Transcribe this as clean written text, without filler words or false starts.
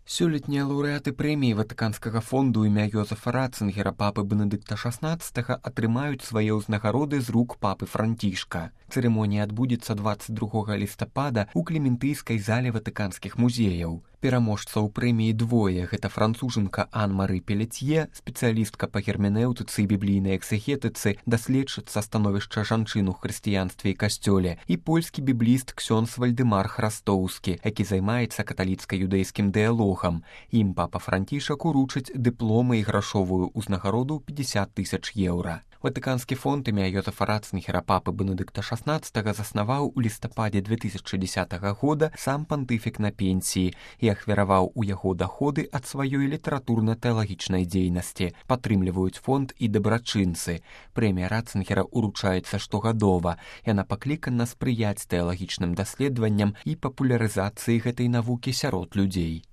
Сёлетнія лаўрэаты прэміі Ватыканскага фонду імя Йозефа Ратцынгера папы Бенедыкта XVI атрымаюць свае ўзнагароды з рук папы Францішка. Цырымонія адбудзецца 22 лістапада ў Клементыйскай зале ватыканскіх музеяў. Пераможцаў прэміі двое. Гэта францужанка Ан-Мары Пелецье, спецыялістка па герменэўтыцы і біблійнай экзегетыцы, даследчыца становішча жанчын у хрысціянстве і касцёле, і польскі бібліст ксёндз Вальдэмар Храстоўскі, які займаецца каталіцка-юдэйскім дыялогам. Ім папа Францішак уручыць дыпломы і грашовую ўзнагароду 50 000 еўра. Ватыканскі фонд імя Йозефа Ратцынгера папы Бенедыкта XVI заснаваў у лістападзе 2010 года сам пантыфік на пенсіі і ахвяраваў у яго даходы ад сваёй літаратурна-тэалагічнай дзейнасці. Падтрымліваюць фонд і дабрачынцы. Прэмія Ратцынгера уручаецца штогадова. Яна паклікана спрыяць тэалагічным даследаванням і папулярызацыі гэтай навукі сярод людзей.